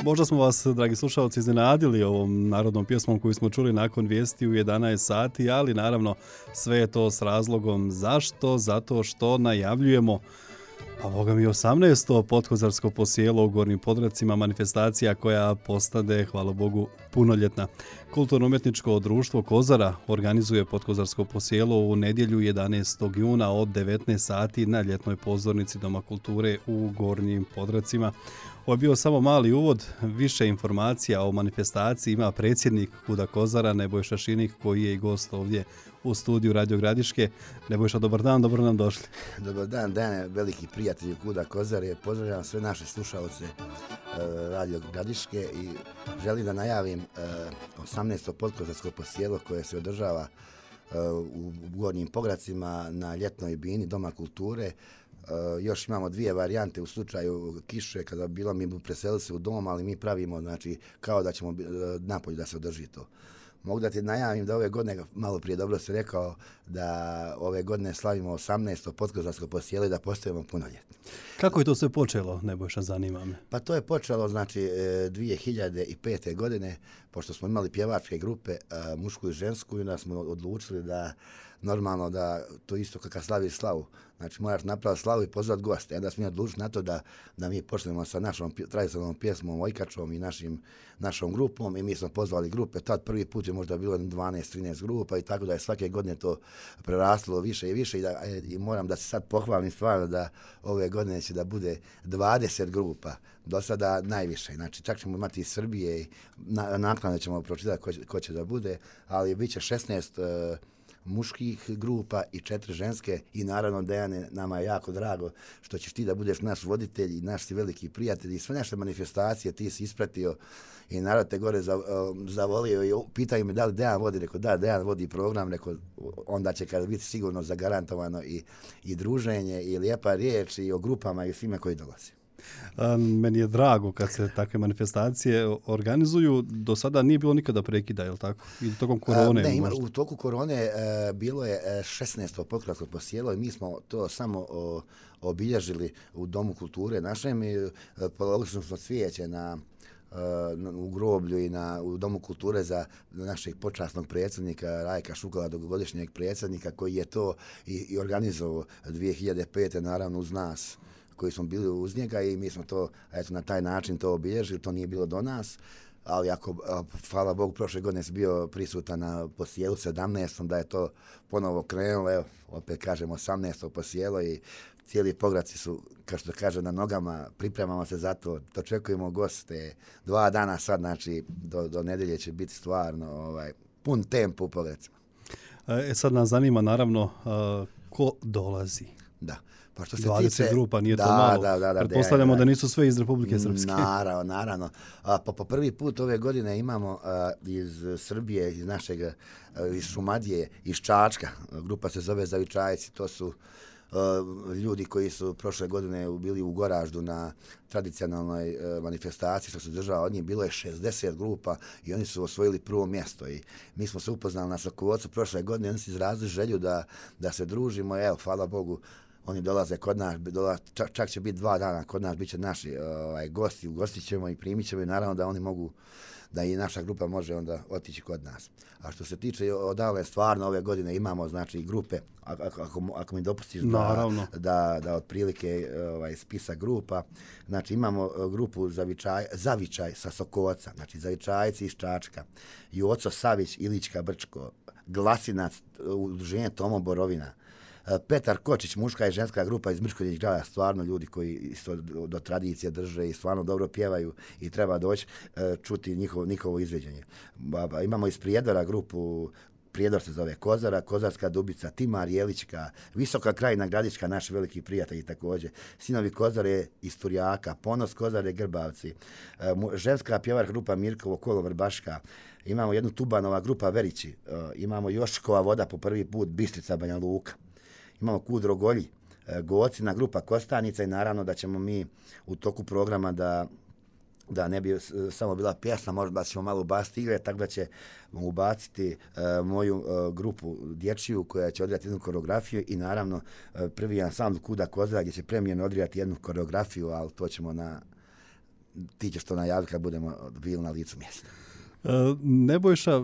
Možda smo vas, dragi slušalci, iznenadili ovom narodnom pjesmom koju smo čuli nakon vijesti u 11 sati, ali naravno sve je to s razlogom. Zašto? Zato što najavljujemo, a boga mi 18. Potkozarsko posijelo u Gornjim Podracima, manifestacija koja postade, hvala Bogu, punoljetna. Kulturno-umjetničko društvo Kozara organizuje Potkozarsko posijelo u nedjelju 11. juna od 19 sati na ljetnoj pozornici Doma kulture u Gornjim Podracima. Ovo je bio samo mali uvod, više informacija o manifestaciji ima predsjednik KUD-a Kozara Nebojša Šinik, koji je i gost ovdje u studiju Radio Gradiške. Nebojša, dobar dan, dobro nam došli. Dobar dan, Dane, veliki prijatelji KUD-a Kozare. Pozdravljam sve naše slušalce Radio Gradiške i želim da najavim 18. Potkozarsko posijelo koje se održava u Gornjim Pogracima na ljetnoj bini Doma kulture. Još imamo dvije varijante u slučaju kiše, kada bilo mi preselili se u dom, ali mi pravimo, znači, kao da ćemo napolje da se održi to. Mogu da ti najavim da ove godine, malo prije dobro si rekao, da ove godine slavimo 18. Potkozarsko posijelo i da postajemo punoljetni. Kako je to sve počelo, Nebojša, zanima me? Pa to je počelo, znači, 2005. godine, pošto smo imali pjevačke grupe, mušku i žensku, i onda smo odlučili da normalno da to isto kako slavi slavu. Znači moraš napraviti slavu i pozvati goste. Onda smo mi odlučili na to da mi počnemo sa našom tradicionalnom pjesmom Ojkačom i našom grupom i mi smo pozvali grupe. Tad prvi put je možda bilo 12-13 grupa i tako da je svake godine to preraslo više i više i moram da se sad pohvalim stvarno da ove godine će da bude 20 grupa. Do sada najviše. Znači čak ćemo imati iz Srbije i naknadno ćemo pročitati ko će da bude, ali bit će 16 muških grupa i 4 ženske i naravno, Dejane, nama je jako drago što ćeš ti da budeš naš voditelj i naš si veliki prijatelj i sve naše manifestacije ti si ispratio i narod te gore zavolio i pitaju me da li Dejan vodi, rekao da, Dejan vodi program, rekao onda će kada biti sigurno zagarantovano i druženje i lijepa riječ i o grupama i svime koji dolazi. Meni je drago kad se takve manifestacije organizuju. Do sada nije bilo nikada prekida, je li tako? I tokom korone? Ne, u toku korone bilo je 16. Potkozarsko posijelo i mi smo to samo obilježili u Domu kulture našem i položili smo cvijeće u groblju i u Domu kulture za našeg počasnog predsjednika Rajka Šukala, dugogodišnjeg predsjednika koji je to i organizovao 2005. naravno uz nas koji smo bili uz njega i mi smo to na taj način to obilježili, to nije bilo do nas, ali hvala Bogu, prošle godine sam bio prisutan na posijelu 17. da je to ponovo krenulo, evo, opet kažem 18. posijelo i cijeli Pograci su, kao što kaže, na nogama, pripremamo se za to, dočekujemo goste, 2 dana sad, znači do nedelje će biti stvarno pun tempo u Pogracima. Sad nas zanima naravno ko dolazi. Da. Pa što se 20 grupa, nije to malo. Pretpostavljamo da nisu sve iz Republike Srpske. Naravno. Po prvi put ove godine imamo iz Srbije, iz Šumadije, iz Čačka. Grupa se zove Zavičajci. To su ljudi koji su prošle godine bili u Goraždu na tradicionalnoj manifestaciji što se država od njih. Bilo je 60 grupa i oni su osvojili prvo mjesto. I mi smo se upoznali na Sokovocu prošle godine. Oni su izrazili želju da se družimo. Evo, hvala Bogu, oni dolaze kod nas, čak će biti 2 dana kod nas, bit će naši gosti, ugostit ćemo i primit ćemo i naravno da oni mogu, da i naša grupa može onda otići kod nas. A što se tiče odavle, stvarno ove godine imamo, znači, grupe, ako mi dopustiš da otprilike spisak grupa, znači imamo grupu Zavičaj sa Sokovaca, znači Zavičajci iz Čačka, Joco Savić, Ilička Brčko, Glasinac, udruženje Tomo Borovina, Petar Kočić, muška i ženska grupa iz Mrškoljić grada, stvarno ljudi koji isto do tradicije drže i stvarno dobro pjevaju i treba doći čuti njihovo izveđenje. Imamo iz Prijedora grupu, Prijedor se zove Kozara, Kozarska Dubica, Timar Jelička, Visoka Krajina Gradiška, naši veliki prijatelji također, Sinovi Kozare iz Turjaka, Ponos Kozare Grbavci, ženska pjevar grupa Mirkovo Kolo Vrbaška, imamo jednu Tubanova grupa Verići, imamo Joškova voda po prvi put Bistrica Banja Luka. Imamo KUD Rogolji, Gocina grupa Kostanica i naravno da ćemo mi u toku programa da ne bi samo bila pjesma, možda ćemo malo ubaciti igre, tako da ćemo ubaciti moju grupu dječju koja će odrati jednu koreografiju i naravno prvi ansambl KUD-a Kozara gdje će premijerno odrati jednu koreografiju, ali to ćemo ti ćeš to najaviti kad budemo bili na licu mjesta. Nebojša,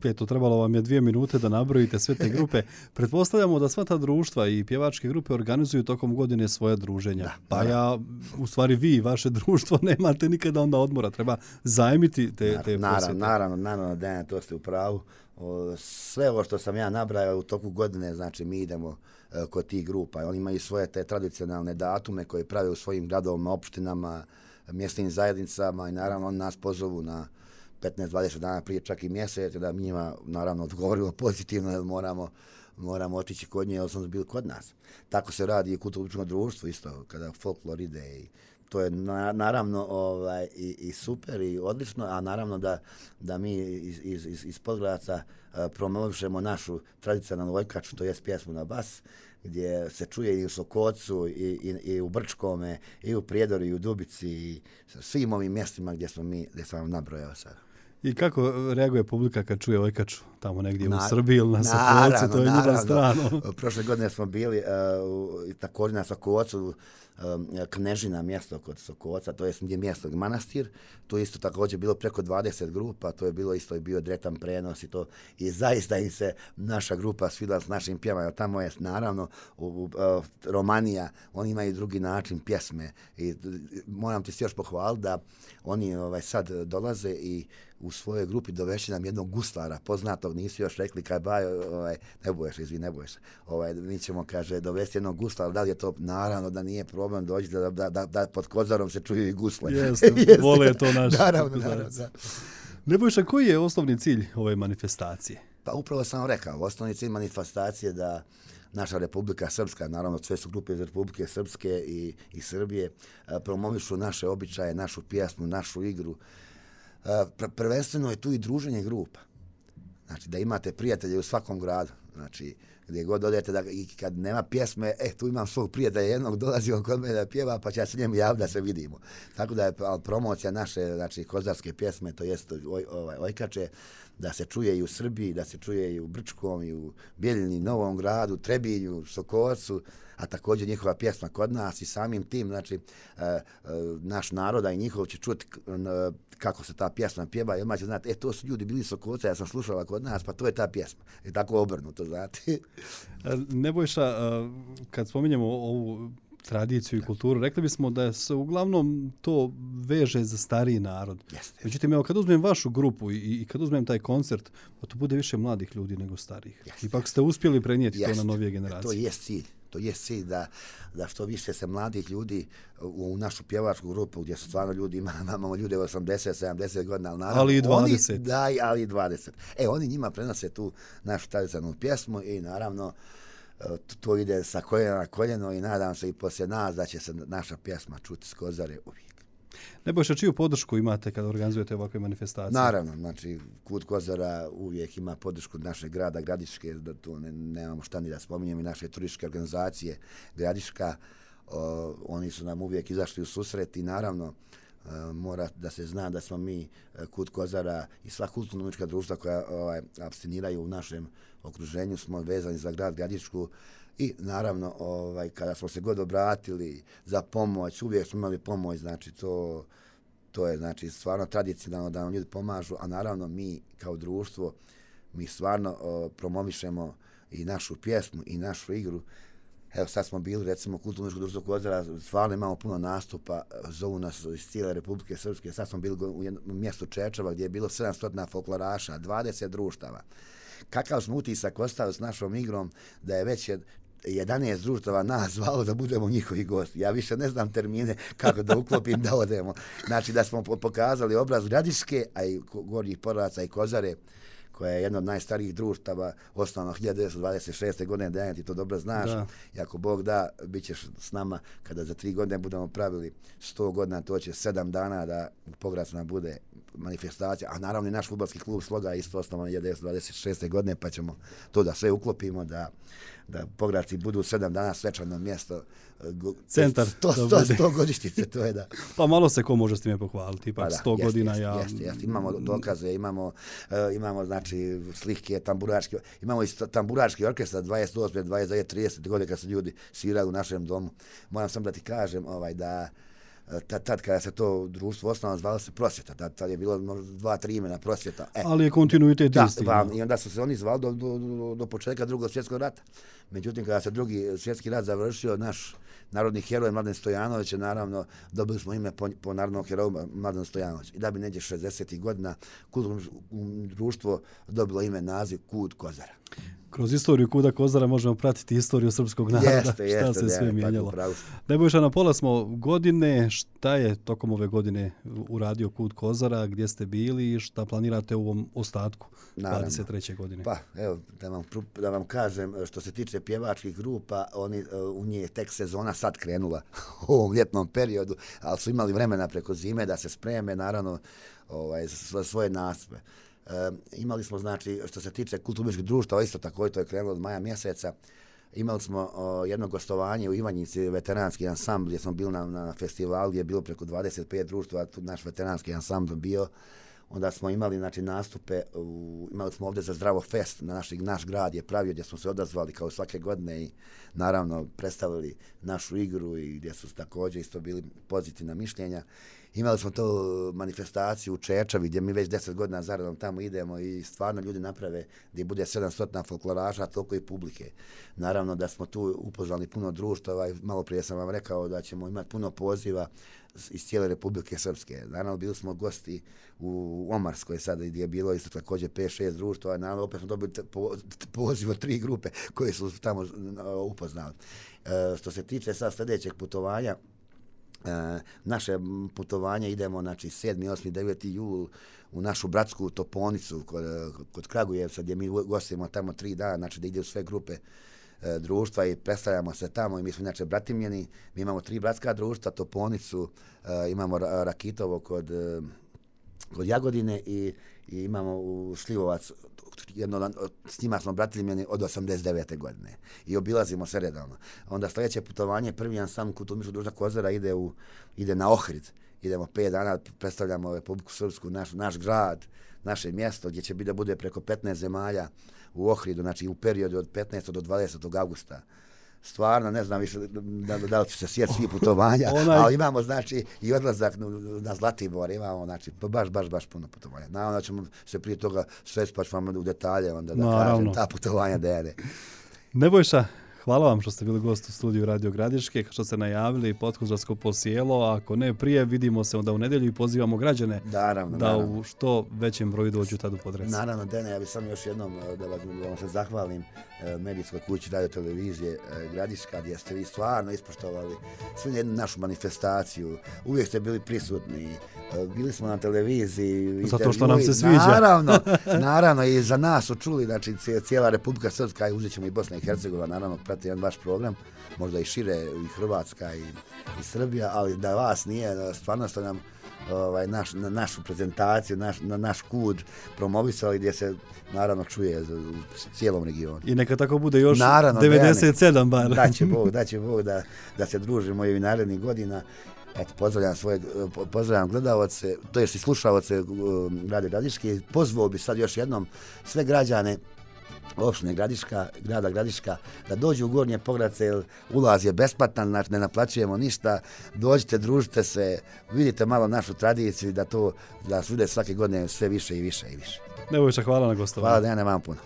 eto, trebalo vam je 2 minute da nabrojite sve te grupe. Pretpostavljamo da sva ta društva i pjevačke grupe organizuju tokom godine svoje druženja. Da, pa u stvari vi i vaše društvo nemate nikada onda odmora. Treba zajmiti te posjete. Naravno, Dejan, to ste u pravu. Sve ovo što sam ja nabrajao u toku godine, znači mi idemo kod tih grupa. Oni imaju svoje te tradicionalne datume koje prave u svojim gradovima, opštinama, mjesnim zajednicama i naravno oni nas pozovu na 15-20 dana prije, čak i mjesec, da mi njima naravno odgovorimo pozitivno, jer moramo otići kod nje, jer su bili kod nas. Tako se radi i kulturno društvo isto, kada folklor ide i to je naravno i super i odlično, a naravno da mi iz Podgradca promovišemo našu tradicionalnu ojkaču, to jest pjesmu na bas, gdje se čuje i u Sokocu i u Brčkome i u Prijedoru i u Dubici i svim ovim mjestima gdje sam vam nabrojao sad. I kako reaguje publika kad čuje ojkaču tamo negdje u Srbiji ili na Sokolcu, to je njima strano. Prošle godine smo bili također na Sokolcu, Knežina mjesto kod Sokolca, to je gdje mjesto manastir, to isto također bilo preko 20 grupa, to je bilo isto i bio direktan prenos i to i zaista im se naša grupa svidjela s našim pjevama, tamo je naravno Romanija, oni imaju drugi način pjesme i moram ti se još pohvaliti da oni sad dolaze i u svojoj grupi doveći nam jednog guslara, poznatog, nisu još rekli kaj ne boješ, mi ćemo, kaže, dovesti jednog guslara, da li je to, naravno da nije problem doći da pod Kozarom se čuju i gusle. Jeste, vole to naši. Naravno. Nebojša, koji je osnovni cilj ove manifestacije? Pa upravo sam rekao, osnovni cilj manifestacije da naša Republika Srpska, naravno sve su grupe iz Republike Srpske i Srbije, promovišu naše običaje, našu pjesmu, našu igru. Prvenstveno je tu i druženje grupa. Znači da imate prijatelje u svakom gradu. Znači gdje god odete i kad nema pjesme, tu imam svog prijatelja jednog, dolazi on kod mene da pjeva, pa će ja se njemu javiti da se vidimo. Tako da je promocija naše, znači kozarske pjesme, to jest ojkače, da se čuje i u Srbiji, da se čuje i u Brčkom, i u Bijeljini, Novom Gradu, Trebinju, Sokolcu, a također njihova pjesma kod nas i samim tim, znači, naš naroda i njihov će čuti kako se ta pjesma pjeva i odmah će znati, to su ljudi bili Sokolca, ja sam slušala kod nas, pa to je ta pjesma. I tako obrnuto, znate. Nebojša, kad spominjemo ovu tradiciju i kulturu, rekli bismo da se uglavnom to veže za stariji narod. Jeste. Međutim, evo, kad uzmem vašu grupu i kad uzmem taj koncert, pa to bude više mladih ljudi nego starih. Jeste. Ipak ste uspjeli prenijeti to na novije generacije. To je cilj. To je cilj da što više se mladih ljudi u našu pjevačku grupu, gdje su stvarno ljudi, imamo ljude 80, 70 godina, ali naravno, ali i 20. Ali i 20. Oni njima prenose tu našu tradicionalnu pjesmu i naravno to ide sa koljena na koljeno i nadam se i poslije nas da će se naša pjesma čuti s Kozare uvijek. Nebojša, čiju podršku imate kada organizujete ovakve manifestacije? Naravno, znači Kut Kozara uvijek ima podršku našeg grada Gradiške, da tu nemamo šta ni da spominjem, i naše turističke organizacije Gradiška, oni su nam uvijek izašli u susret i naravno mora da se zna da smo mi Kut Kozara i sva kulturno-umjetnička društva koja apstiniraju u našem okruženju smo vezani za grad Gradišku i naravno kada smo se god obratili za pomoć, uvijek smo imali pomoć, znači to je znači stvarno tradicionalno da nam ljudi pomažu, a naravno mi kao društvo mi stvarno promovišemo i našu pjesmu i našu igru. Evo sad smo bili recimo kulturno društvo Kozara, stvarno imamo puno nastupa, zovu nas iz cijele Republike Srpske, sad smo bili u jednom mjestu Čečeva gdje je bilo 700 folkloraša, 20 društava. Kakav smo utisak ostavili s našom igrom da je već 11 društava nas zvalo da budemo njihovi gosti. Ja više ne znam termine kako da uklopim da odemo. Znači da smo pokazali obraz Gradiške, a i Gornjih Podgradca i Kozare, koja je jedna od najstarijih društava, osnovno 1926. godine, Dejan, ti to dobro znaš. Da. I ako Bog da, bit ćeš s nama kada za 3 godine budemo pravili 100 godina, to će 7 dana da u Podgradcima bude manifestacija, a naravno i naš fudbalski klub Sloga isto osnovan 1926. godine, pa ćemo to da sve uklopimo, da Podgradci budu 7 dana svečano mjesto, centar 100 godišnjice, to je da. Pa malo se ko može s time pohvaliti, ipak 100 godina. Jeste. Imamo dokaze, imamo znači slike, tamburački, imamo i tamburački orkestar 28, 29, 30 godine kad su ljudi svirali u našem domu. Moram sam da ti kažem da tad kada se to društvo osnovalo, zvalo se Prosvjeta. Tad je bilo 2-3 imena Prosvjeta. Ali je kontinuitet isti. I onda su se oni zvali do početka Drugog svjetskog rata. Međutim, kada se Drugi svjetski rat završio, naš narodni heroj Mladen Stojanović je naravno, dobili smo ime po narodnom heroju Mladen Stojanović. I da bi neđe 60. godina kulturno društvo dobilo ime, naziv Kud Kozara. Kroz istoriju Kuda Kozara možemo pratiti istoriju srpskog naroda, šta se sve mijenjalo. Nebojša, na pola smo godine, šta je tokom ove godine uradio Kud Kozara, gdje ste bili i šta planirate u ovom ostatku 23. godine? Pa, evo, da vam kažem, što se tiče pjevačkih grupa, u nje je tek sezona sad krenula u ovom ljetnom periodu, ali su imali vremena preko zime da se spreme, naravno, za svoje nastupe. Imali smo, znači, što se tiče kulturnih društva, isto tako, to je krenulo od maja mjeseca, imali smo jedno gostovanje u Ivanjici, veteranski ansambl, gdje smo bili na festivalu, gdje je bilo preko 25 društva, tu naš veteranski ansambl bio. Onda smo imali, znači, nastupe, imali smo ovdje za Zdravo fest, naš grad je pravio, gdje smo se odazvali kao svake godine i naravno predstavili našu igru i gdje su također isto bili pozitivna mišljenja. Imali smo to manifestaciju u Čečavi gdje mi već 10 godina zaradom tamo idemo i stvarno ljudi naprave gdje bude 700 folkloraša, toliko i publike. Naravno da smo tu upoznali puno društava i malo prije sam vam rekao da ćemo imati puno poziva iz cijele Republike Srpske. Naravno bili smo gosti u Omarskoj sad gdje je bilo isto također 5-6 društva. Naravno opet smo dobili poziv od 3 grupe koje su tamo upoznali. Što se tiče sad sljedećeg putovanja, naše putovanje idemo, znači 7., 8., 9. jul u našu bratsku Toponicu kod Kragujevca gdje mi gostimo tamo 3 dana, znači da ide u sve grupe društva i predstavljamo se tamo i mi smo inače bratimljeni, mi imamo 3 bratska društva, Toponicu, imamo Rakitovo kod Jagodine i imamo u Šljivovac, s njima smo bratimljeni od 89. godine i obilazimo se redovno. Onda sljedeće putovanje, prvi ansambl kulturnog društva Kozara ide na Ohrid. Idemo 5 dana, predstavljamo Republiku Srpsku, naš grad, naše mjesto, gdje će biti da bude preko 15 zemalja u Ohridu, znači u periodu od 15. do 20. augusta. Stvarno, ne znam više da li ću se sjeti svih putovanja, ali imamo, znači, i odlazak na Zlatibor, imamo, znači, baš puno putovanja. Naravno da ćemo se prije toga svesti, pa ću vam u detalje onda da kažem ta putovanja dene. Nebojša, hvala vam što ste bili gost u studiju Radio Gradiške, što ste najavili Potkozarsko posjelo, ako ne prije, vidimo se onda u nedjelju i pozivamo građane da u što većem broju dođu tad u Podrez. Naravno, Dene, ja bih sam još jednom da vam se zahvalim medijskoj kući Radio Televizije Gradiška, gdje ste vi stvarno ispoštovali svu jednu našu manifestaciju, uvijek ste bili prisutni, bili smo na televiziji. Zato što nam se sviđa. Naravno, i za nas su čuli, znači cijela Republika Srpska i uzet ćemo i Bosna i Hercegovina, naravno, prati jedan vaš program, možda i šire, i Hrvatska i Srbija, ali da vas nije, stvarno ste nam našu prezentaciju, naš kud promovisali gdje se naravno čuje u cijelom regionu. I neka tako bude još naravno, 97 bar. Daće Bog da se družimo i narednih godina. Eto, pozdravljam gledalce, to jest i slušalce Radio Gradiške. Pozvao bi sad još jednom sve građane opštine Gradiška, grada Gradiška, da dođu u Gornje Pogradce, jer ulaz je besplatan, znači ne naplaćujemo ništa, dođite, družite se, vidite malo našu tradiciju, da se vide svake godine sve više i više i više. Nebojša, hvala na gostovanju. Hvala, da ja ne vam puno.